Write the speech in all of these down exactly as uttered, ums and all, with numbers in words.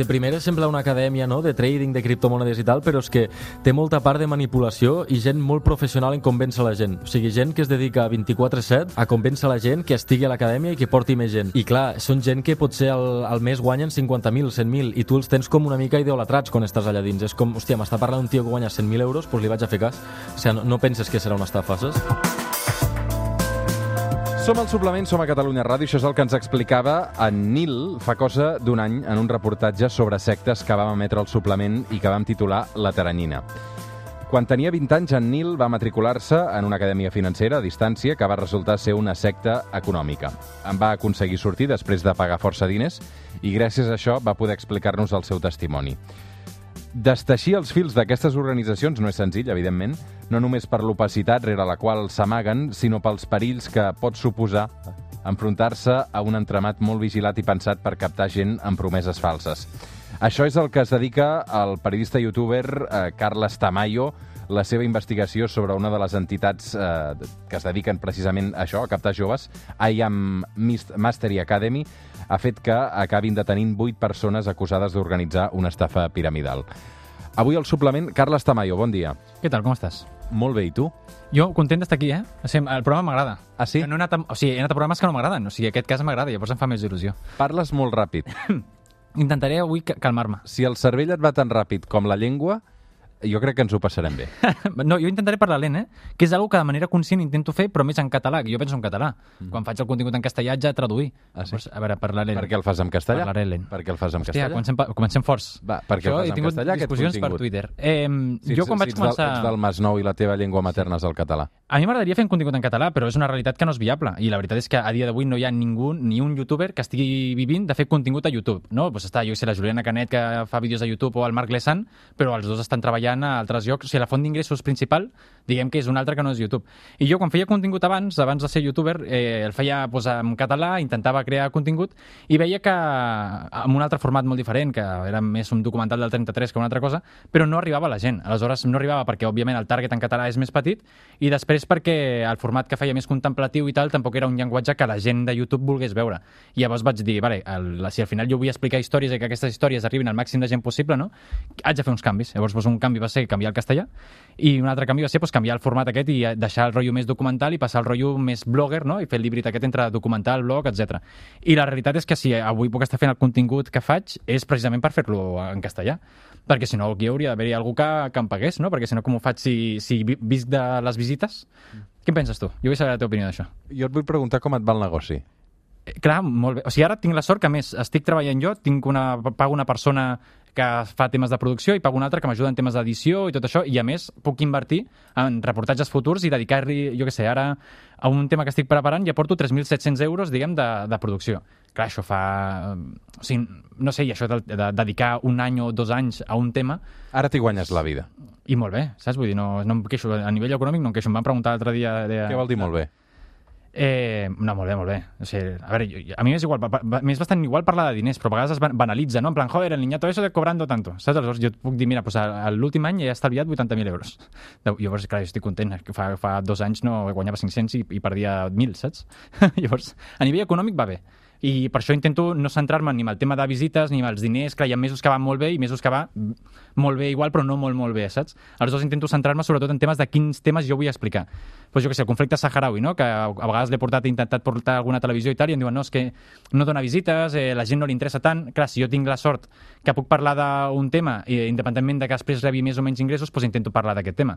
de primera sembla una acadèmia, no?, de trading, de criptomonedes i tal, però és que té molta part de manipulació i gent molt professional en convèncer la gent. O sigui, gent que es dedica vint-i-quatre set a convèncer la gent que estigui a l'acadèmia i que porti més gent. I clar, són gent que potser al, al mes guanyen cinquanta mil, cent mil, i tu els tens com una mica idolatrats quan estàs allà dins. És com, hòstia, m'està parlant un tio que guanya cent mil euros, doncs li vaig a fer cas. O sigui, no, no penses que serà una estafa, saps? Som al Suplement, som a Catalunya Ràdio. Això és el que ens explicava en Nil fa cosa d'un any en un reportatge sobre sectes que vam emetre al Suplement i que vam titular La Teranyina. Quan tenia vint anys, en Nil va matricular-se en una acadèmia financera a distància que va resultar ser una secta econòmica. En va aconseguir sortir després de pagar força diners i gràcies a això va poder explicar-nos el seu testimoni. Desteixir els fils d'aquestes organitzacions no és senzill, evidentment, no només per l'opacitat rere la qual s'amaguen, sinó pels perills que pot suposar enfrontar-se a un entramat molt vigilat i pensat per captar gent amb promeses falses. Això és el que es dedica el periodista i youtuber eh, Carles Tamayo, la seva investigació sobre una de les entitats eh, que es dediquen precisament a això, a captar joves, I Am Mastery Academy, ha fet que acabin detenint vuit persones acusades d'organitzar una estafa piramidal. Avui al Suplement, Carles Tamayo, bon dia. Què tal, com estàs? Molt bé, i tu? Jo content d'estar aquí, eh? O sigui, el programa m'agrada. Ah, sí? No he anat a, o sigui, he anat a programes que no m'agraden. O sigui, aquest cas m'agrada, llavors em fa més il·lusió. Parles molt ràpid. Intentaré avui calmar-me. Si el cervell et va tan ràpid com la llengua, jo crec que ens ho passarem bé. No, jo intentaré parlar lent, eh? Que és una que de manera conscient intento fer, però més en català, que jo penso en català. Mm. Quan faig el contingut en castellà haig de traduir. Ah, sí? Llavors, a veure, parlar lent. Per què el fas en castellà? Parlaré lent. Per què el fas en Hòstia, castellà? comencem, comencem forts. Va, per què el fas en castellà, aquest discussions contingut? per Twitter. Eh, si jo ets, quan si vaig ets començar... Del, ets del Masnou i la teva llengua materna és el català. A mi m'agradaria fer un contingut en català, però és una realitat que no és viable. I la veritat és que a dia d'avui no hi ha ningú, ni un youtuber que estigui vivint de fer contingut a YouTube. No? Pues està, jo sé, la Juliana Canet, que fa vídeos a YouTube, o el Marc Lesan, però els dos estan treballant a altres llocs. O sigui, la font d'ingressos principal, diguem que és un altre que no és YouTube. I jo, quan feia contingut abans, abans de ser youtuber, eh, el feia pues, en català, intentava crear contingut, i veia que, amb un altre format molt diferent, que era més un documental del trenta-tres que una altra cosa, però no arribava a la gent. Aleshores, no arribava perquè, òbviament, el target en català és més petit, i després perquè el format que feia més contemplatiu i tal tampoc era un llenguatge que la gent de YouTube volgués veure. I llavors vaig dir, vale, el, si al final jo vull explicar històries i que aquestes històries arribin al màxim de gent possible, no? Haig de fer uns canvis. Llavors, pues, un canvi va ser canviar el castellà, i un altre canvi va ser pues, canviar el format aquest i deixar el rotllo més documental i passar al rotllo més blogger, no? I fer el híbrid aquest entre documental, blog, etcètera. I la realitat és que si avui puc estar fent el contingut que faig és precisament per fer-lo en castellà, perquè si no aquí hauria d'haver-hi algú que, que em pagués, no? Perquè si no, com ho faig si, si visc de les visites? Mm. Què en penses tu? Jo vull saber la teva opinió d'això. Jo et vull preguntar com et va el negoci. Eh, clar, molt bé. O sigui, ara tinc la sort que, a més, estic treballant jo, tinc una, pago una persona que fa temes de producció i pago una altra que m'ajuda en temes d'edició i tot això, i a més puc invertir en reportatges futurs i dedicar-li, jo què sé, ara a un tema que estic preparant ja porto tres mil set-cents euros, diguem, de, de producció. Clar, això fa... O sigui, no sé, i això de, de dedicar un any o dos anys a un tema... Ara t'hi guanyes la vida. I molt bé, saps? Vull dir, no, no em queixo, a nivell econòmic no em queixo. Em van preguntar l'altre dia... De... Què vol dir molt bé? Eh, no, molt bé, molt bé. O sigui, a veure, jo, a mi m'és igual, m'és bastant igual parlar de diners, però a vegades es banalitza, no? En plan, joder, el niñato eso de cobrando tanto, saps? Aleshores jo puc dir, mira, pues, l'últim any he estalviat vuitanta mil euros. Llavors, clar, jo estic content, fa, fa dos anys no guanyava cinc-cents i, i perdia mil, saps? Llavors, a nivell econòmic va bé. I per això intento no centrar-me ni en el tema de visites ni en els diners. Clar, hi ha mesos que van molt bé i mesos que va molt bé igual, però no molt, molt bé, saps? Aleshores intento centrar-me sobretot en temes de quins temes jo vull explicar. Pues jo què sé, el conflicte saharaui, no? Que a vegades l'he portat, he intentat portar a alguna televisió i tal, i em diuen, no, és que no dona visites, eh, la gent no li interessa tant. Clar, si jo tinc la sort que puc parlar d'un tema, i independentment de que després rebi més o menys ingressos, pues intento parlar d'aquest tema.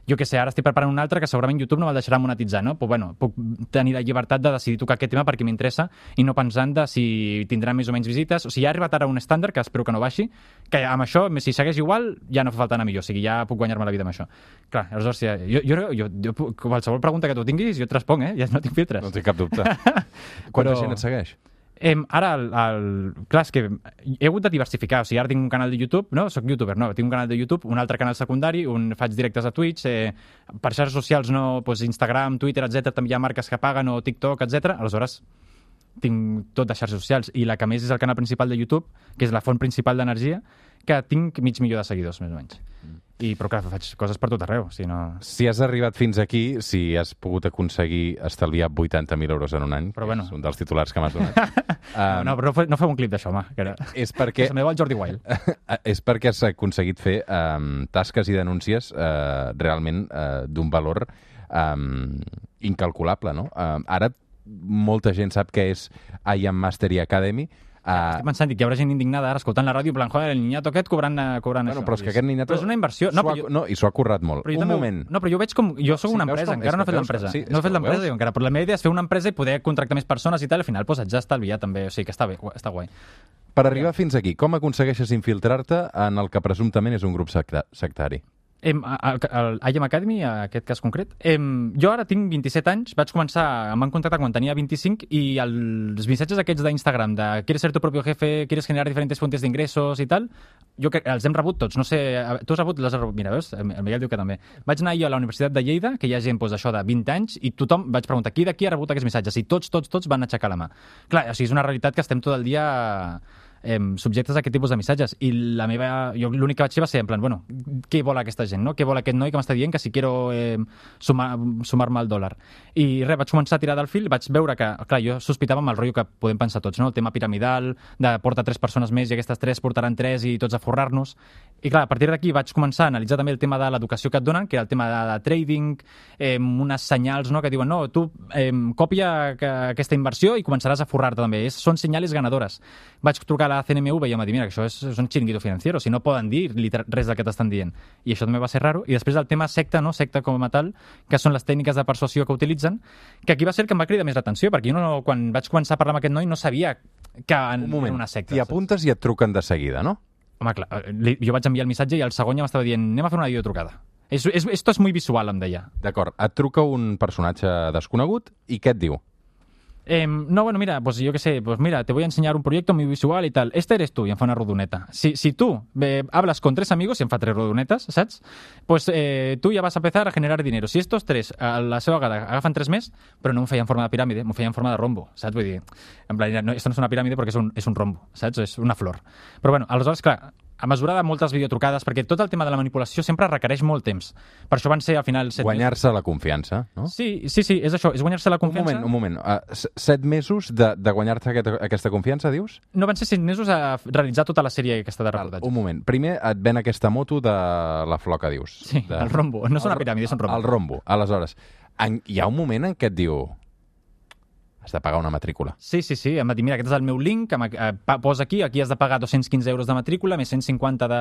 Jo què sé, ara estic preparant un altre que segurament YouTube no me'l deixarà monetitzar, no? Pues bueno, puc tenir la llibertat de decidir tocar aquest tema perquè m'interessa i no pensar de si tindrà més o menys visites. O sigui, ja ha arribat ara un estàndard, que espero que no baixi, que amb això, si segueix igual, ja no fa falta anar millor. O sigui, ja puc guanyar-me la vida amb això. Clar, aleshores, ja, jo, jo, jo, jo, qualsevol pregunta que tu tinguis, jo et responc, eh? Ja no tinc filtres. No tinc cap dubte. Quanta Però... gent et segueix? Eh, ara, el, el, clar, és que he hagut de diversificar. O sigui, ara tinc un canal de YouTube, no? Soc youtuber, no? Tinc un canal de YouTube, un altre canal secundari, un faig directes a Twitch, eh, per xarxes socials, no? Pues Instagram, Twitter, etcètera. També hi ha marques que paguen, o TikTok, etcètera. Aleshores, tinc tot de xarxes socials, i la que més és el canal principal de YouTube, que és la font principal d'energia, que tinc mig milió de seguidors, més o menys. I, però clar, faig coses per tot arreu. Si, no... si has arribat fins aquí, si has pogut aconseguir estalviar vuitanta mil euros en un any, però bueno. És un dels titulars que m'has donat. um, no, però no, no fem un clip d'això, home. Que era... És perquè... Se me va el Jordi Wild. És perquè has aconseguit fer um, tasques i denúncies uh, realment uh, d'un valor um, incalculable, no? Uh, ara molta gent sap què és I Am Mastery Academy. Uh, Estic pensant, dic, hi haurà gent indignada ara escoltant la ràdio, en plan, joder, el niñato aquest cobrant, cobrant bueno, això. Però és que aquest niñato... Però és una inversió. No, ha, jo... no, i s'ho ha currat molt. Un també... moment. No, però jo veig com... Jo sóc sí, una empresa, com... encara no he fet veus, l'empresa. sí, no he fet l'empresa, veus? jo encara. Però la meva idea és fer una empresa i poder contractar més persones i tal, al final pues, haig d'estalviar també. O sigui que està bé, està guai. Per arribar ja. fins aquí, com aconsegueixes infiltrar-te en el que presumptament és un grup secta sectari? Em, el, el I Am Academy, en aquest cas concret, em, jo ara tinc vint-i-set anys, vaig començar, em van contactar quan tenia vint-i-cinc i els missatges aquests d'Instagram de ¿quieres ser tu propio jefe? ¿Quieres generar diferentes fuentes de ingresos? I tal, jo que els hem rebut tots, no sé, tu has rebut, les has rebut, mira, veus? El Miguel diu que també. Vaig anar jo a la Universitat de Lleida, que hi ha gent pues, això de vint anys, i tothom, vaig preguntar, qui d'aquí ha rebut aquests missatges? I tots, tots, tots van aixecar la mà. Clar, o sigui, és una realitat que estem tot el dia... Eh, subjectes a aquest tipus de missatges i la meva, jo l'únic que vaig fer va ser en plan, bueno, què vol aquesta gent, no? Què vol aquest noi que m'està dient que si quiero eh, sumar, sumar-me al dòlar? I res, vaig començar a tirar del fil, vaig veure que, clar, jo sospitava amb el rotllo que podem pensar tots, no? El tema piramidal, de portar tres persones més i aquestes tres portaran tres i tots a forrar-nos. I clar, a partir d'aquí vaig començar a analitzar també el tema de l'educació que et donen, que era el tema de, de trading, eh, unes senyals, no?, que diuen, no, tu eh, copia aquesta inversió i començaràs a forrar-te també. És, són senyals ganadores. Vaig trucar a la C N M V i em va dir, mira, que això és, és un xiringuito financiero, si no poden dir res del que t'estan dient. I això també va ser raro. I després el tema secta, no? Secta com a tal, que són les tècniques de persuasió que utilitzen, que aquí va ser el que em va cridar més l'atenció, perquè jo no, quan vaig començar a parlar amb aquest noi no sabia que en, un moment, era una secta. T'hi apuntes i et truquen de seguida, no? Home, clar, jo vaig enviar el missatge i el segon ja m'estava dient, anem a fer una videotrucada. És, és, esto es muy visual, em deia. D'acord, et truca un personatge desconegut i què et diu? Eh, no, bueno, mira, pues yo qué sé, pues mira, te voy a enseñar un proyecto muy visual y tal. Este eres tú, y em fa una rodoneta. Si, si tú eh, hablas con tres amigos, y em fa tres rodonetes, saps? Pues eh, tú ya vas a empezar a generar dinero. Si estos tres, a la seva vegada, agafen tres més, però no m'ho feia en forma de piràmide, m'ho feia en forma de rombo, saps? Vull dir, en plan, no, esto no és una piràmide perquè és un, és un rombo, saps? És una flor. Però bueno, aleshores, clar, a mesura de moltes videotrucades, perquè tot el tema de la manipulació sempre requereix molt temps. Per això van ser, al final... Guanyar-se la confiança, no? Sí, sí, sí, és això, és guanyar-se la confiança. Un moment, un moment. Uh, set mesos de, de guanyar-te aquesta, aquesta confiança, dius? No, van ser set mesos a realitzar tota la sèrie aquesta de reportatge. Un moment. Primer et ven aquesta moto de la flor que dius. Sí, de... el rombo. No és una piràmide, és un rombo. El rombo. Aleshores, en, hi ha un moment en què et diu... has de pagar una matrícula. Sí, sí, sí. Em va dir, mira, aquest és el meu link, eh, posa aquí, aquí has de pagar dos-cents quinze euros de matrícula, més cent cinquanta de,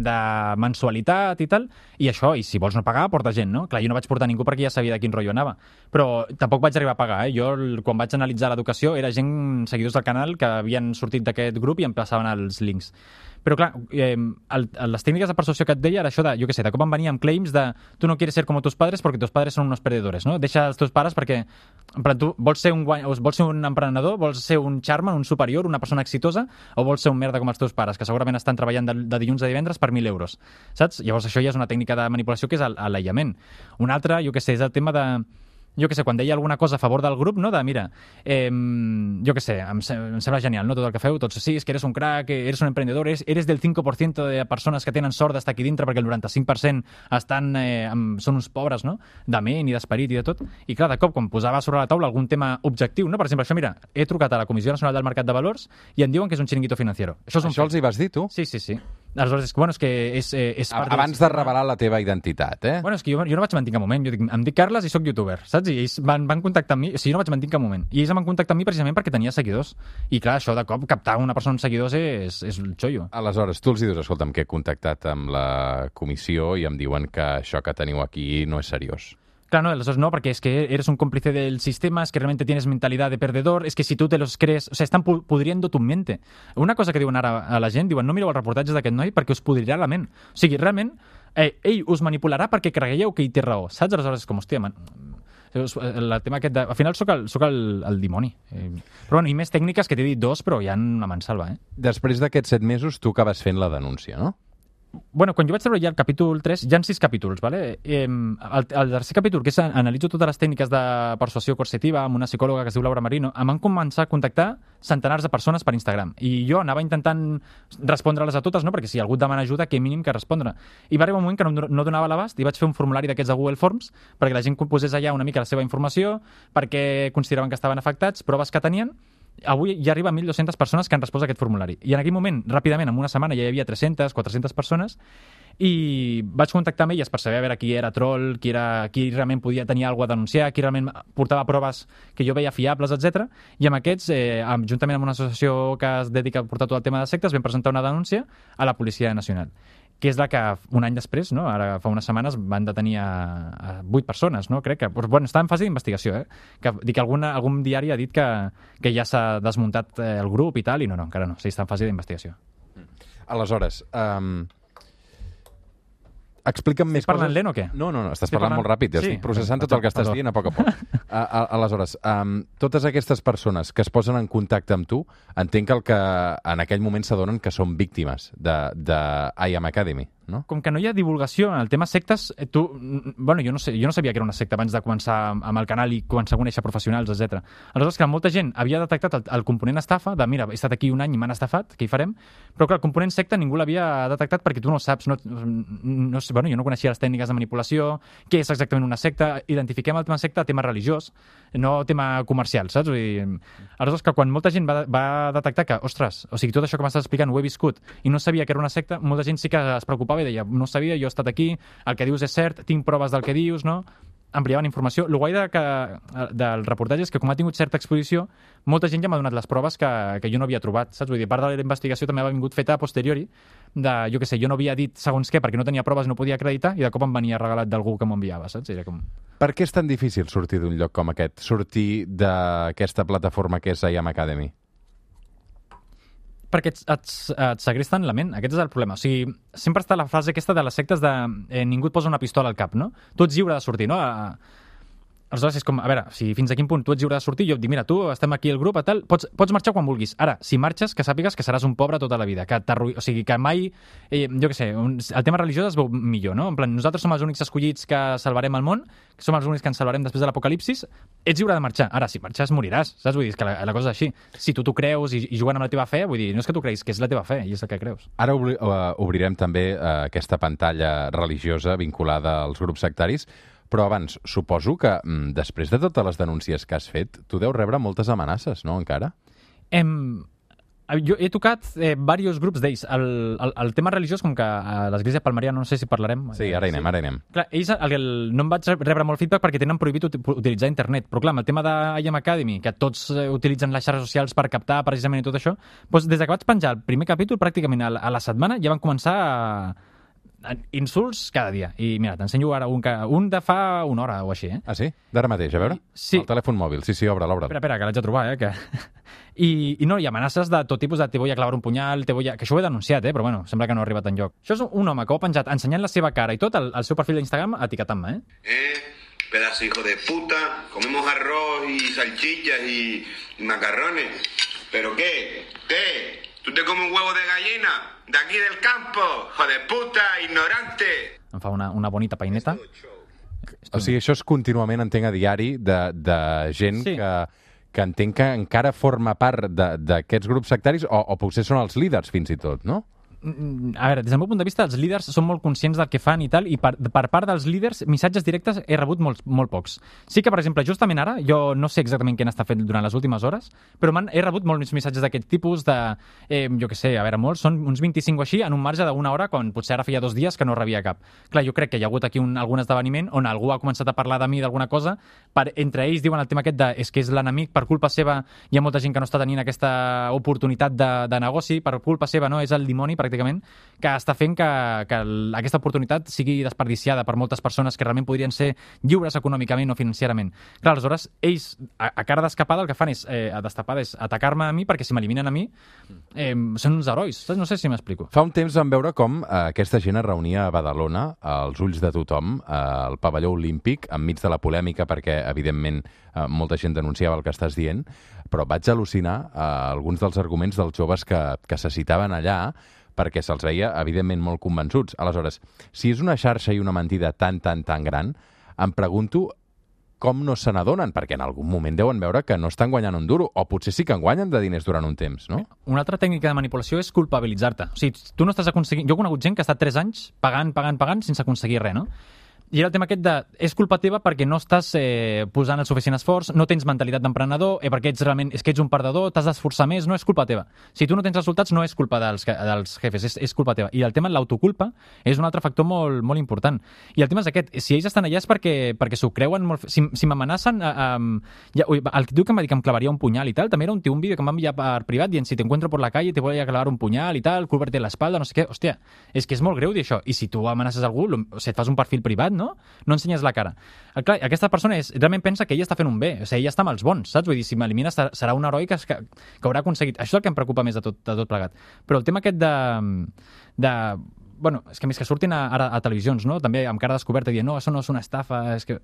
de mensualitat i tal, i això, i si vols no pagar, porta gent, no? Clar, jo no vaig portar ningú perquè ja sabia de quin rotllo anava. Però tampoc vaig arribar a pagar, eh? Jo, quan vaig analitzar l'educació, era gent, seguidors del canal, que havien sortit d'aquest grup i em passaven els links. Però clar, eh, el, les tècniques de persuasió que et deia era això de, jo què sé, de com em venia amb claims de tu no quieres ser como tus padres porque tus padres son unos perdedores, no? Deixa els teus pares perquè, en plan, tu vols ser un, guany... vols ser un emprenedor, vols ser un charman, un superior, una persona exitosa, o vols ser un merda com els teus pares, que segurament estan treballant de, de dilluns a divendres per mil euros, saps? Llavors això ja és una tècnica de manipulació que és l'aïllament. Un altre, jo què sé, és el tema de... jo què sé, quan deia alguna cosa a favor del grup, no? De, mira, eh, jo què sé, em, em sembla genial, no? Tot el que feu, tots, sí, és que eres un crack, eres un emprendedor, eres, eres del cinc per cent de persones que tenen sort d'estar aquí dintre perquè el noranta-cinc per cent estan, eh, amb, són uns pobres, no? De ment i d'esperit i de tot. I clar, de cop, quan posava sobre la taula algun tema objectiu, no? Per exemple, això, mira, he trucat a la Comissió Nacional del Mercat de Valors i em diuen que és un xiringuito financiero. Això, és un això els hi vas dir, tu? Sí, sí, sí. Aleshores, és que, bueno, és que és... Eh, és part Abans de revelar la teva identitat, eh? Bueno, és que jo, jo no vaig mentir en cap moment. Jo dic, em dic Carles i sóc youtuber, saps? I ells van, van contactar amb mi, o sigui, no vaig mentir en cap moment. I ells em van contactar amb mi precisament perquè tenia seguidors. I clar, això de cop, captar una persona amb seguidors és, és el xollo. Aleshores, tu els dius, escolta'm, que he contactat amb la comissió i em diuen que això que teniu aquí no és seriós. Claro, no, aleshores no, porque es que eres un cómplice del sistema, es que realmente tienes mentalidad de perdedor, es que si tú te los crees... O sea, están pudriendo tu mente. Una cosa que diuen ara a la gent, diuen, no mireu els reportatges d'aquest noi perquè us pudrirà la ment. O sigui, realment, eh, ell us manipularà perquè cregueu que ell té raó. Saps? Aleshores, com, hòstia, man... el tema aquest de... Al final sóc el, sóc el, el dimoni. Eh, però bueno, i més tècniques que t'he dit dos, però hi ha una mansalva, eh? Després d'aquests set mesos, tu acabes fent la denúncia, no? bueno, quan jo vaig treure ja el capítol tres, hi ha sis capítols, ¿vale? Eh, el, el tercer capítol, que és analitzo totes les tècniques de persuasió coercitiva amb una psicòloga que es diu Laura Marino, em van començar a contactar centenars de persones per Instagram. I jo anava intentant respondre-les a totes, no? Perquè si algú et demana ajuda, que mínim que respondre. I va arribar un moment que no, no donava l'abast i vaig fer un formulari d'aquests de Google Forms perquè la gent posés allà una mica la seva informació, perquè consideraven que estaven afectats, proves que tenien. Avui ja arriba a mil dues-centes persones que han respost a aquest formulari. I en aquell moment, ràpidament, en una setmana ja hi havia tres-centes, quatre-centes persones, i vaig contactar amb elles per saber a veure qui era troll, qui, era, qui realment podia tenir alguna cosa a denunciar, qui realment portava proves que jo veia fiables, etcètera. I amb aquests, eh, juntament amb una associació que es dedica a portar tot el tema de sectes, vam presentar una denúncia a la Policia Nacional, que és la que un any després, no? Ara fa unes setmanes, van detenir a vuit persones, no? Crec que... Bueno, està en fase d'investigació, eh? Que, dic que alguna, algun diari ha dit que, que ja s'ha desmuntat eh, el grup i tal, i no, no, encara no. Sí, està en fase d'investigació. Aleshores, um, explica'm més coses. Estàs parlant lent o què? No, no, no, estàs estic parlant, parlant molt ràpid. Sí? Estic processant tot el que estàs dient a poc a poc. A, a, aleshores, um, totes aquestes persones que es posen en contacte amb tu, entenc que, el que en aquell moment s'adonen que són víctimes de, de I Am Academy, no? Com que no hi ha divulgació en el tema sectes, tu... Bueno, jo no, sé, jo no sabia que era una secta abans de començar amb el canal i començar a conèixer professionals, etcètera. Aleshores, que molta gent havia detectat el, el component estafa, de mira, he estat aquí un any i m'han estafat, què hi farem? Però que el component secta ningú l'havia detectat perquè tu no saps, no, no, bueno, jo no coneixia les tècniques de manipulació, què és exactament una secta, identifiquem el tema secta, tema religiós, no tema comercial, saps? Vull dir, aleshores, que quan molta gent va, va detectar que, ostres, o sigui, tot això que m'estàs explicant ho he viscut i no sabia que era una secta, molta gent sí que es preocupava i deia, no sabia, jo he estat aquí, el que dius és cert, tinc proves del que dius, no? Ampliaven informació. El guai de que, del reportatge és que com ha tingut certa exposició, molta gent ja m'ha donat les proves que, que jo no havia trobat, saps? Vull dir, part de la investigació també ha vingut feta a posteriori, de, jo què sé, jo no havia dit segons què perquè no tenia proves, no podia acreditar, i de cop em venia regalat d'algú que m'ho enviava, saps? Era com... Per què és tan difícil sortir d'un lloc com aquest, sortir d'aquesta plataforma que és I Am Academy? Perquè et, et, et segresten la ment, aquest és el problema. O sigui, sempre està la frase aquesta de les sectes de eh, ningú et posa una pistola al cap, no? Tu ets lliure de sortir, no? A, aleshores és com, a veure, si fins a quin punt tu ets lliure de sortir, jo et dic, mira, tu estem aquí al grup, a tal, pots, pots marxar quan vulguis. Ara, si marxes, que sàpigues que seràs un pobre tota la vida, que o sigui, que mai, eh, jo què sé, un, el tema religiós es veu millor, no? En plan, nosaltres som els únics escollits que salvarem el món, que som els únics que ens salvarem després de l'apocalipsis, ets lliure de marxar. Ara, si marxes, moriràs, saps? Vull dir, que la, la cosa és així. Si tu t'ho creus i, i juguen amb la teva fe, vull dir, no és que tu creguis, que és la teva fe, i és el que creus. Ara obri, uh, obrirem també uh, aquesta pantalla religiosa vinculada als grups sectaris, però abans, suposo que mm, després de totes les denúncies que has fet, tu deus rebre moltes amenaces, no, encara? Em... Jo he tocat eh, diversos grups d'ells. El, el, el tema religiós, com que a l'Església Palmariana, no sé si parlarem... Sí, ara hi anem, sí. ara hi anem. Clar, ells, el, el, no em vaig rebre molt feedback perquè tenen prohibit utilitzar internet, però clar, amb el tema de I Am Academy, que tots eh, utilitzen les xarxes socials per captar precisament i tot això, doncs des que vaig penjar el primer capítol, pràcticament a la, a la setmana, ja van començar a... insults cada dia. I mira, t'ensenyo ara un, un de fa una hora o així, eh? Ah, sí? D'ara mateix, a veure? Sí. El telèfon mòbil. Sí, sí, obre, l'obre. Espera, espera, que l'haig de trobar, eh? Que... I, I no, hi ha amenaces de tot tipus de te voy a clavar un punyal, te voy a... que això ho he denunciat, eh? Però bueno, sembla que no ha arribat enlloc. Això és un home que ho ha penjat ensenyant la seva cara i tot el, el seu perfil d'Instagram etiquetant-me, eh? Eh, pedazo hijo de puta, comemos arroz y salchichas y, y macarrones. ¿Pero qué? ¿Qué? ¿Tú te comes un huevo de gallina? De aquí del campo, hijo de puta, ignorante. Em fa una, una bonita peineta. O sigui, això és contínuament, entenc, a diari de, de gent sí. que, que entenc que encara forma part d'aquests grups sectaris o, o potser són els líders, fins i tot, no? A veure, des del meu punt de vista, els líders són molt conscients del que fan i tal, i per, per part dels líders, missatges directes he rebut molt, molt pocs. Sí que, per exemple, justament ara, jo no sé exactament què n'està fent durant les últimes hores, però he rebut molts missatges d'aquest tipus de, eh, jo què sé, a veure, molts, són uns vint-i-cinc o així, en un marge d'una hora, quan potser ara feia dos dies que no rebia cap. Clar, jo crec que hi ha hagut aquí un, algun esdeveniment on algú ha començat a parlar de mi d'alguna cosa, per, entre ells diuen el tema aquest de és que és l'enemic, per culpa seva hi ha molta gent que no està tenint aquesta oportunitat de, de negoci, per culpa seva, no, és el dimoni, pràcticament, que està fent que, que aquesta oportunitat sigui desperdiciada per moltes persones que realment podrien ser lliures econòmicament o financierament. Clar, aleshores, ells, a, a cara d'escapada, el que fan és, eh, a destapada, és atacar-me a mi, perquè si m'eliminen a mi, eh, són uns herois. No sé si m'explico. Fa un temps vam veure com eh, aquesta gent es reunia a Badalona, als ulls de tothom, eh, al pavelló olímpic, enmig de la polèmica, perquè, evidentment, eh, molta gent denunciava el que estàs dient, però vaig al·lucinar eh, alguns dels arguments dels joves que, que se citaven allà, perquè se'ls veia, evidentment, molt convençuts. Aleshores, si és una xarxa i una mentida tan, tan, tan gran, em pregunto com no se n'adonen, perquè en algun moment deuen veure que no estan guanyant un duro, o potser sí que en guanyen de diners durant un temps, no? Una altra tècnica de manipulació és culpabilitzar-te. O sigui, tu no estàs aconseguint... Jo he conegut gent que ha estat tres anys pagant, pagant, pagant sense aconseguir res, no? I era el tema aquest de... És culpa teva perquè no estàs eh, posant el suficient esforç, no tens mentalitat d'emprenedor, eh, perquè ets realment, és que ets un perdedor, t'has d'esforçar més, no és culpa teva. Si tu no tens resultats, no és culpa dels, dels jefes, és, és culpa teva. I el tema de l'autoculpa és un altre factor molt, molt important. I el tema és aquest, si ells estan allà és perquè, perquè s'ho creuen molt... Si, si m'amenacen... Eh, eh, ja, ui, el tio que em va dir que em clavaria un punyal i tal, també era un tio, un vídeo que em va enviar per privat dient si te encuentro por la calle te voy a clavar un punyal i tal, cúbrete la espalda, no sé què. Hòstia, és que és molt greu dir això. I si tu amenaces algú, o sigui, et fas un perfil privat, no? No ensenyes la cara. Clar, aquesta persona és, realment pensa que ella està fent un bé, o sigui, ella està amb els bons, saps? Vull dir, si m'elimina serà un heroi que, que, que haurà aconseguit. Això és el que em preocupa més de tot, de tot plegat. Però el tema aquest de... de bueno, és que més que surtin a, ara a televisions, no? També amb cara descoberta dient, no, això no és una estafa, és que...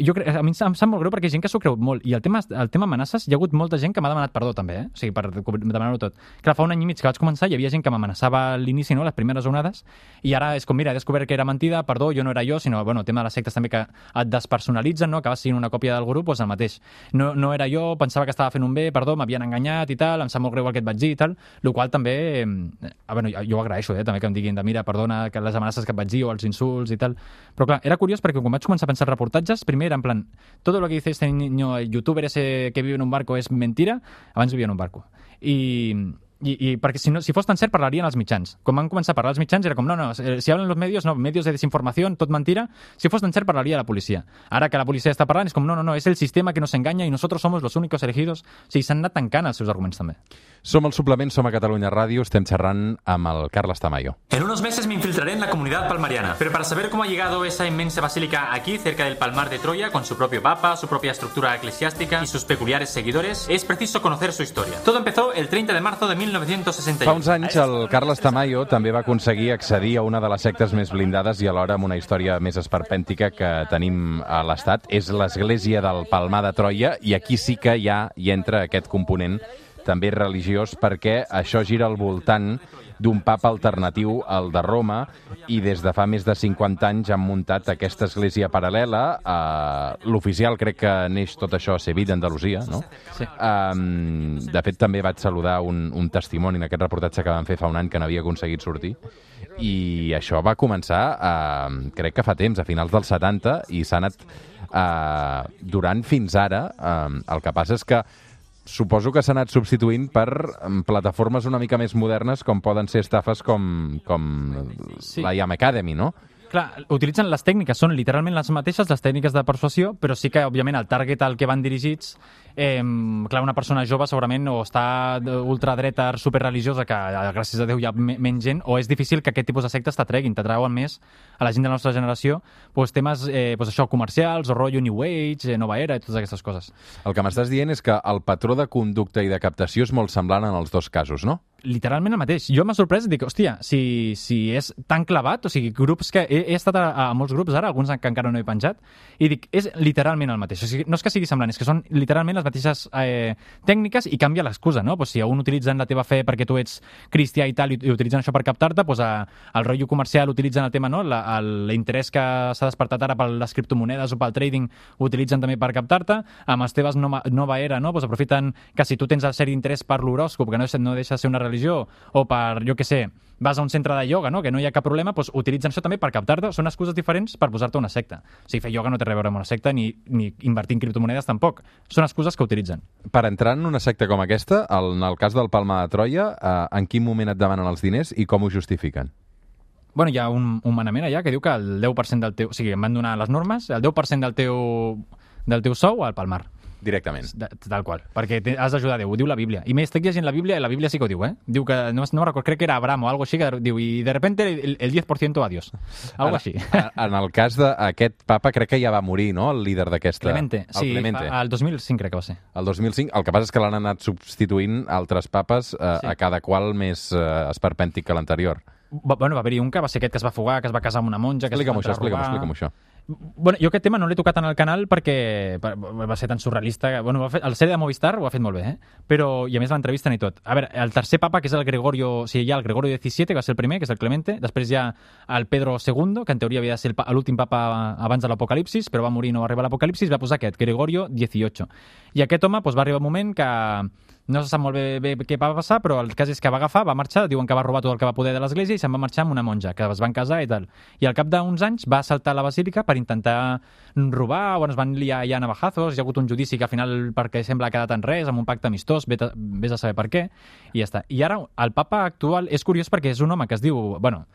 Jo crec, a mi em sap molt greu perquè hi ha gent que s'ho creu molt. I el tema, el tema amenaces, hi ha hagut molta gent que m'ha demanat perdó també, eh? O sigui, per demanar-ho tot. Clar, fa un any i mig que vaig començar, hi havia gent que m'amenaçava a l'inici, no?, les primeres onades, i ara és com, mira, he descobert que era mentida, perdó, jo no era jo, sinó, bueno, el tema de les sectes també que et despersonalitzen, no?, que vas sent una còpia del grup, doncs el mateix. No, no era jo, pensava que estava fent un bé, perdó, m'havien enganyat i tal, em sap molt greu el que et vaig dir i tal, el qual també, eh, bueno, jo ho agraeixo, eh, també que em diguin de, mira, perdona, que les amenaces que et vaig dir o els insults i tal. Però clar, era curiós perquè quan vaig començar a pensar reportatges, primer era en plan, todo lo que dice este niño, el youtuber ese que vive en un barco es mentira, abans vivia en un barco. I... I, i perquè si, no, si fos tan cert parlarien els mitjans. Quan van començar a parlar els mitjans era com, no, no, si hablen los medios, no, medios de desinformació, tot mentira. Si fos tan cert parlaria la policia. Ara que la policia està parlant és com, no, no, no, és el sistema que nos engaña i nosotros somos los únicos elegidos. O sigui, s'han anat tancant els seus arguments també. Som el Suplement, som a Catalunya Ràdio, estem xerrant amb el Carles Tamayo. En unos meses me infiltraré en la comunidad palmariana, pero para saber cómo ha llegado esa inmensa basílica aquí, cerca del Palmar de Troya, con su propio papa, su propia estructura eclesiástica y sus peculiares seguidores, es preciso conocer su historia. Todo empezó el treinta de marzo de mil novecientos sesenta y uno. Fa uns anys el Carles Tamayo també va aconseguir accedir a una de les sectes més blindades i alhora amb una història més esperpèntica que tenim a l'Estat. És l'església del Palmar de Troia i aquí sí que ja hi entra aquest component també religiós perquè això gira al voltant d'un papa alternatiu al de Roma i des de fa més de cinquanta anys han muntat aquesta església paral·lela. Uh, L'oficial crec que neix tot això a Sevilla, Andalusia, no? Sí. Um, de fet, també vaig saludar un, un testimoni en aquest reportatge que van fer fa un any que n'havia aconseguit sortir. I això va començar, uh, crec que fa temps, a finals dels setanta, i s'ha anat uh, durant fins ara. Uh, el que passa és que suposo que s'ha anat substituint per plataformes una mica més modernes com poden ser estafes com, com sí. la I A M Academy, no? Clar, utilitzen les tècniques, són literalment les mateixes, les tècniques de persuasió, però sí que, òbviament, el target al que van dirigits, eh, clar, una persona jove segurament o està ultradreta superreligiosa, que gràcies a Déu hi ha menys gent, o és difícil que aquest tipus de sectes t'atreguin, t'atrauen més a la gent de la nostra generació, doncs temes, eh, doncs això, comercials, o rotllo New Age, eh, Nova Era, i totes aquestes coses. El que m'estàs dient és que el patró de conducta i de captació és molt semblant en els dos casos, no? Literalment el mateix. Jo m'ha sorprès i dic, hòstia, si, si és tan clavat, o sigui, grups que... He, he estat a, a molts grups ara, alguns que encara no he penjat, i dic, és literalment el mateix. O sigui, no és que sigui semblant, és que són literalment les mateixes eh, tècniques i canvia l'excusa, no? Pues si a un utilitzen la teva fe perquè tu ets cristià i tal, i, i utilitzen això per captar-te, pues a, el rotllo comercial utilitzen el tema, no? L'interès que s'ha despertat ara per les criptomonedes o pel trading ho utilitzen també per captar-te. Amb les teves nova, nova era, no? Pues aprofiten que si tu tens el cert interès per l'horòscop, que no, no deixa de ser una religió, o per, jo què sé, vas a un centre de ioga, no? Que no hi ha cap problema, doncs utilitzen això també per captar-te. Són excuses diferents per posar-te una secta. O sigui, fer ioga no té res a veure amb una secta, ni, ni invertir en criptomonedes tampoc. Són excuses que utilitzen. Per entrar en una secta com aquesta, en el cas del Palmar de Troia, eh, en quin moment et demanen els diners i com ho justifiquen? Bueno, hi ha un, un manament allà que diu que el deu per cent del teu... O sigui, em van donar les normes, el deu per cent del teu, del teu sou al Palmar. Directament. De, tal qual, perquè has d'ajudar Déu, ho diu la Bíblia. I més, estic llegint la Bíblia, i la Bíblia sí que ho diu, eh? Diu que, no, no recordo, crec que era Abraham o algo així, que diu, i de repente el, el diez por ciento a Dios. Algo en, així. En el cas d'aquest papa, crec que ja va morir, no?, el líder d'aquesta... Clemente, sí, Clemente. Fa, el dos mil cinc crec que va ser. El dos mil cinc, el que passa és que l'han anat substituint altres papes, eh, sí. a cada qual més eh, esperpèntic que l'anterior. Va, bueno, va haver-hi un que va ser aquest que es va fugar, que es va casar amb una monja... Que Explica'm-ho, això, explica'm-ho, explica'm això. Bueno, jo aquest tema no l'he tocat en el canal perquè va ser tan surrealista. Bueno, va fer, el sèrie de Movistar ho ha fet molt bé, eh? Però, i a més l'entrevisten i tot. A veure, el tercer papa, que és el Gregorio... O sigui, hi ha el Gregorio diecisiete, que va ser el primer, que és el Clemente. Després hi ha el Pedro segundo, que en teoria havia de ser l'últim papa abans de l'Apocalipsis, però va morir i no va arribar a l'Apocalipsis, va posar aquest, Gregorio dieciocho. I aquest home doncs, va arribar un moment que no se sap molt bé, bé què va passar, però el cas és que va agafar, va marxar, diuen que va robar tot el que va poder de l'església i se'n va marxar amb una monja, que es van casar i tal. I al cap d'uns anys va assaltar la basílica per intentar robar, bueno, es van liar ja navajazos, hi ha hagut un judici que al final, perquè sembla que ha quedat en res, amb un pacte amistós, vés a saber per què, i ja està. I ara el papa actual és curiós perquè és un home que es diu, bueno,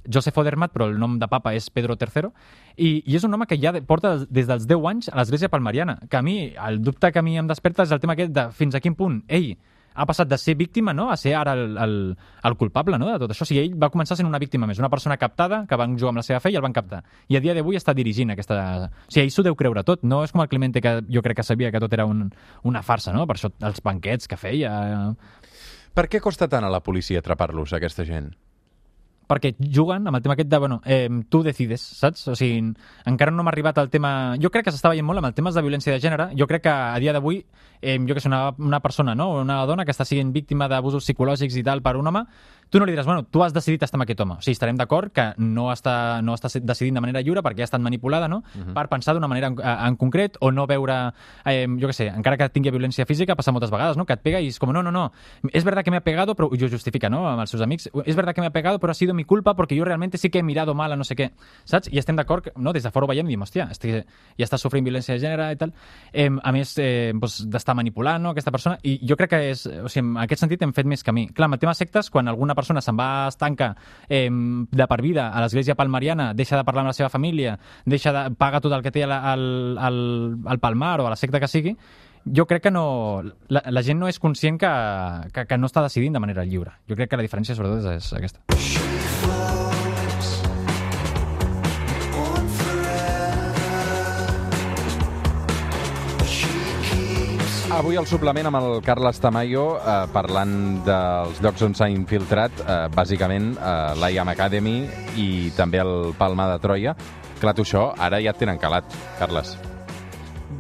Joseph Odermatt, però el nom de papa és Pedro tercero, i, i és un home que ja porta des dels deu anys a l'església palmariana, que a mi, el dubte que a mi em desperta és el tema aquest de fins a quin punt ell ha passat de ser víctima, no?, a ser ara el, el, el culpable, no?, de tot això. O sigui, ell va començar sent una víctima més, una persona captada que van jugar amb la seva fe i el van captar. I a dia d'avui està dirigint aquesta... O sigui, ell s'ho deu creure tot. No és com el Clemente, que jo crec que sabia que tot era un, una farsa, no?, per això els banquets que feia... Per què costa tant a la policia atrapar-los, aquesta gent? Perquè juguen amb el tema aquest de, bueno, eh, tu decides, saps? O sigui, encara no m'ha arribat el tema... Jo crec que s'està veient molt amb el temes de violència de gènere. Jo crec que a dia d'avui, eh, jo que sé, una, una persona, no?, una dona que està sent víctima d'abusos psicològics i tal per un home, tu no li diràs, bueno, tu has decidit estar amb aquest home. O sigui, estarem d'acord que no està, no està decidint de manera lliure perquè ha estat manipulada, no?, uh-huh. per pensar d'una manera en, en concret o no veure, eh, jo què sé, encara que tingui violència física, passa moltes vegades, no?, que et pega i és com, no, no, no, es verdad que me ha pegado, però jo justifica, no?, amb els seus amics, es verdad que me ha pegado, però ha sido mi culpa porque yo realmente sí que he mirado mal a no sé què, saps? I estem d'acord, no?, des de fora ho veiem i diem, hòstia, estic, ja està sofrint violència de gènere i tal. Eh, a més, eh, doncs, d'estar manipulant, no?, aquesta persona, i jo crec que és, o sigui, en aquest sentit hem fet més camí. Clar, amb el tema sectes, quan alguna persona se'n va estanca eh, de per vida a l'església palmariana, deixa de parlar amb la seva família, deixa de paga tot el que té al, al, al, al Palmar o a la secta que sigui, jo crec que no... La, la gent no és conscient que, que, que no està decidint de manera lliure. Jo crec que la diferència, sobretot, és, és aquesta. Avui al suplement amb el Carles Tamayo eh, parlant dels llocs on s'ha infiltrat, eh, bàsicament eh, l'I A M Academy i també el Palma de Troia. Clar, tu això ara ja et tenen calat, Carles.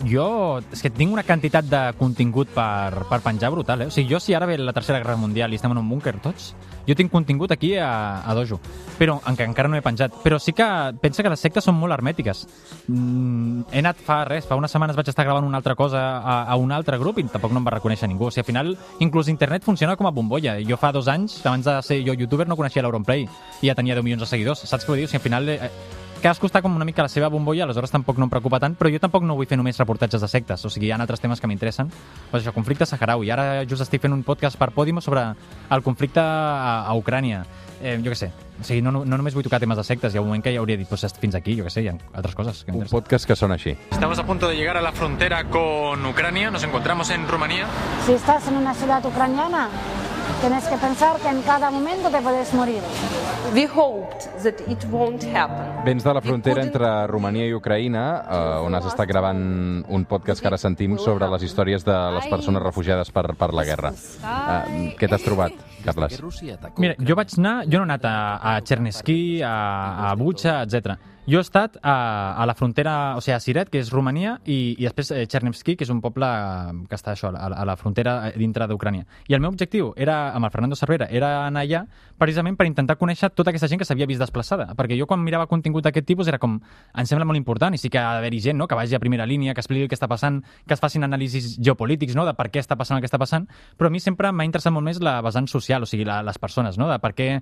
Jo, és que tinc una quantitat de contingut per, per penjar brutal, eh? O sigui, jo si ara ve la Tercera Guerra Mundial i estem en un búnquer tots, jo tinc contingut aquí a, a Dojo, però encara, encara no he penjat. Però sí que pensa que les sectes són molt hermètiques. Mm, he anat fa res, fa unes setmanes vaig estar gravant una altra cosa a, a un altre grup i tampoc no em va reconèixer ningú. O sigui, al final, inclús internet funciona com a bombolla. Jo fa dos anys, abans de ser jo youtuber, no coneixia l'Auronplay i ja tenia deu milions de seguidors. Saps què vull dir? O sigui, al final... Eh, cadascú està com una mica a la seva bombolla, aleshores tampoc no em preocupa tant, però jo tampoc no vull fer només reportatges de sectes, o sigui, hi ha altres temes que m'interessen. Pues això, conflicte saharaui. Ara just estic fent un podcast per Podimo sobre el conflicte a, a Ucrània. Eh, jo què sé, o sigui, no, no, no només vull tocar temes de sectes, hi ha un moment que ja hauria dit, pues fins aquí, jo què sé, hi ha altres coses. Que un podcast que sona així. Estamos a punto de llegar a la frontera con Ucrania, nos encontramos en Rumanía. Si estás en una ciudad ucraniana, tienes que pensar que en cada momento te puedes morir. We hoped that it won't happen. Vens de la frontera entre Romania i Ucraïna, eh, on has estat gravant un podcast que ara sentim sobre les històries de les persones refugiades per, per la guerra. Eh, què t'has trobat, Carles? Mira, jo vaig anar, jo no he anat a, a Chernesky, a, a Bucha, etcètera. Jo he estat a, a la frontera, o sigui, a Siret, que és Romania, i, i després eh, Chernivtsi, que és un poble que està això, a, a la frontera dintre d'Ucrània. I el meu objectiu era, amb el Fernando Cervera, era anar allà precisament per intentar conèixer tota aquesta gent que s'havia vist desplaçada. Perquè jo quan mirava contingut d'aquest tipus era com, em sembla molt important, i sí que ha d'haver-hi gent, no?, que vagi a primera línia, que expliqui què està passant, que es facin anàlisis geopolítics, no?, de per què està passant el que està passant, però a mi sempre m'ha interessat molt més la vessant social, o sigui, la, les persones, no?, de per què...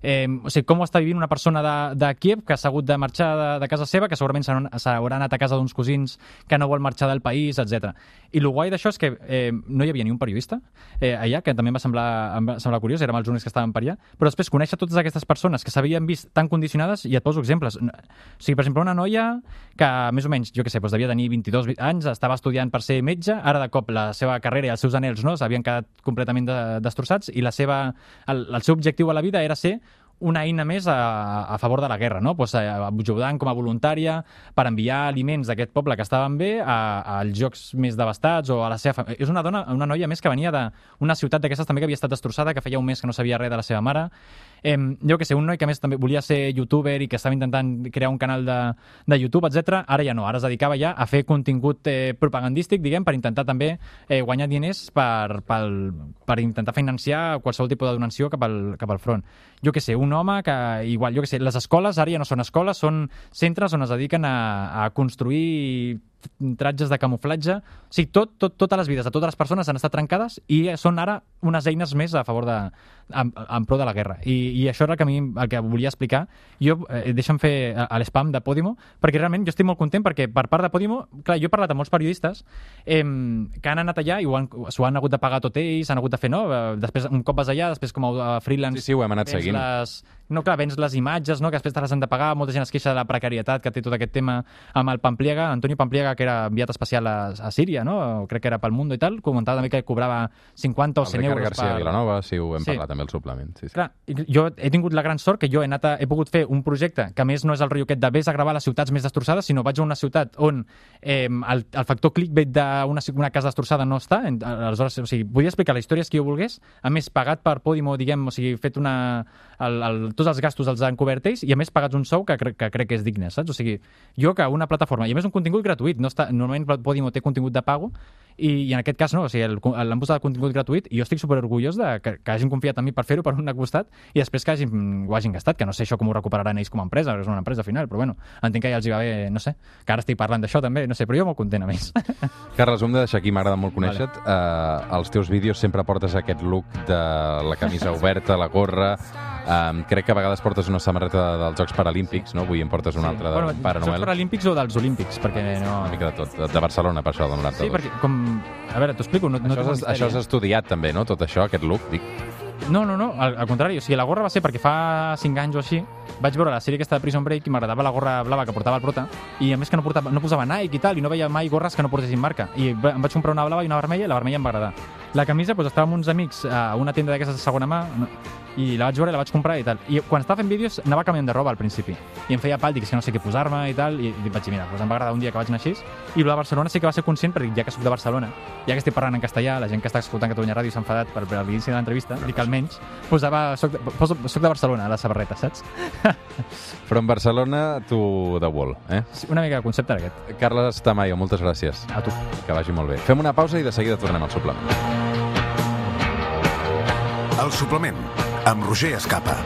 Eh, o sigui, com ho està vivint una persona de, de Kiev que s'ha hagut de marxar de, de casa seva, que segurament s'haurà anat a casa d'uns cosins que no vol marxar del país, etcètera. I el guai d'això és que eh, no hi havia ni un periodista eh, allà, que també em va semblar, em va semblar curiós, érem els únics que estaven per allà, però després conèixer totes aquestes persones que s'havien vist tan condicionades, i et poso exemples. O sigui, per exemple, una noia que més o menys, jo què sé, doncs devia tenir vint-i-dos anys, estava estudiant per ser metge, ara de cop la seva carrera i els seus anhels, no?, s'havien quedat completament de, destrossats, i la seva, el, el seu objectiu a la vida era ser una eina més a, a favor de la guerra, no? Pues, ajudant com a voluntària per enviar aliments d'aquest poble que estaven bé a, als jocs més devastats o a la seva família. És una dona, una noia més que venia d'una ciutat d'aquestes també que havia estat destrossada, que feia un mes que no sabia res de la seva mare. Eh, jo que sé, un noi que més també volia ser youtuber i que estava intentant crear un canal de, de YouTube, etcètera. Ara ja no, ara es dedicava ja a fer contingut eh, propagandístic, diguem, per intentar també eh, guanyar diners per, per, per intentar financiar qualsevol tipus de donació cap al, cap al front. Jo que sé, un home que, igual, jo que sé, les escoles ara ja no són escoles, són centres on es dediquen a, a construir tratges de camuflatge. O sigui, tot, tot, totes les vides de totes les persones han estat trencades i són ara unes eines més a favor de, en, en pro de la guerra. I, i això era el que, a mi, el que volia explicar. Jo, eh, deixa'm fer a l'espam de Podimo, perquè realment jo estic molt content perquè per part de Podimo, clar, jo he parlat amb molts periodistes eh, que han anat allà i s'ho han, han hagut de pagar tot ells, han hagut de fer, no? Després, un cop vas allà, després com a freelance... Sí, sí, ho hem anat seguint. Les, no, clar, vens les imatges, no? Que després te les han de pagar. Molta gent es queixa de la precarietat que té tot aquest tema amb el Pampliega, Antonio Pampliega, que era enviat especial a, a Síria, no? Crec que era pel Mundo i tal, comentava també que cobrava cinquanta o cent euros García per... Vilanova, sí, ho hem sí. parlat també al suplement. Sí, sí. Clar, jo he tingut la gran sort que jo he, anat a, he pogut fer un projecte que a més no és el rotllo aquest de vés a gravar les ciutats més destrossades, sinó vaig a una ciutat on eh, el, el factor clickbait d'una una casa destrossada no està. Aleshores, o sigui, podia explicar les històries que jo volgués, a més pagat per Podimo, diguem, o sigui, fet una... El, el, tots els gastos els han cobert ells i a més pagats un sou que, cre que crec que és digne, saps? O sigui, jo que una plataforma, i a més un contingut gratuït, no està, normalment Podimo té contingut de pago, i, i en aquest cas no, o sigui, l'han posat el contingut gratuït i jo estic superorgullós de que, que hagin confiat en mi per fer-ho per un costat i després que hagin, ho hagin gastat, que no sé això com ho recuperaran ells com a empresa, és una empresa al final, però bueno, entenc que ja els hi va bé, no sé, que ara estic parlant d'això també, no sé, però jo molt content a més. Carles, ho hem de deixar aquí, m'agrada molt conèixer-te. Vale. Uh, als teus vídeos sempre portes aquest look de la camisa oberta, la gorra. Um, crec que a vegades portes una samarreta dels Jocs Paralímpics, no? Avui em portes una sí. altra de bueno, Pare Noel. Jocs Paralímpics o dels Olímpics, perquè no... Una mica de tot, de Barcelona, per això, del noranta-dos. Sí, perquè, com... A veure, t'ho explico, no, no això, és, això has estudiat també, no? Tot això, aquest look, dic. No, no, no, al, al contrari, o sigui, la gorra va ser perquè fa cinc anys o així vaig veure la sèrie aquesta de Prison Break i m'agradava la gorra blava que portava el prota i a més que no, portava, no posava Nike i tal i no veia mai gorres que no portessin marca i em vaig comprar una blava i una vermella i la vermella em va agradar. La camisa, doncs estava amb uns amics a una tenda d'aquestes de segona mà i la vaig veure i la vaig comprar i tal. I quan estava fent vídeos anava canviant de roba al principi i em feia pal, dic que no sé què posar-me i tal i, i vaig dir, mira, doncs em va agradar un dia que vaig anar així i la Barcelona sí que va ser conscient perquè ja que soc de Barcelona, ja que estic parlant en castellà, la gent que està escoltant Catalunya Ràdio s'ha enfadat per, per l'inici de l'entrevista, dic almenys posava, soc de, poso, soc de Barcelona a la samarreta, saps? From Barcelona to the wall, eh? Sí, una mica de concepte era aquest. Carles Tamayo, moltes gràcies. A tu. Que vagi molt bé. Fem una pausa i de seguida tornem al suplement. El suplement, amb Roger Escapa.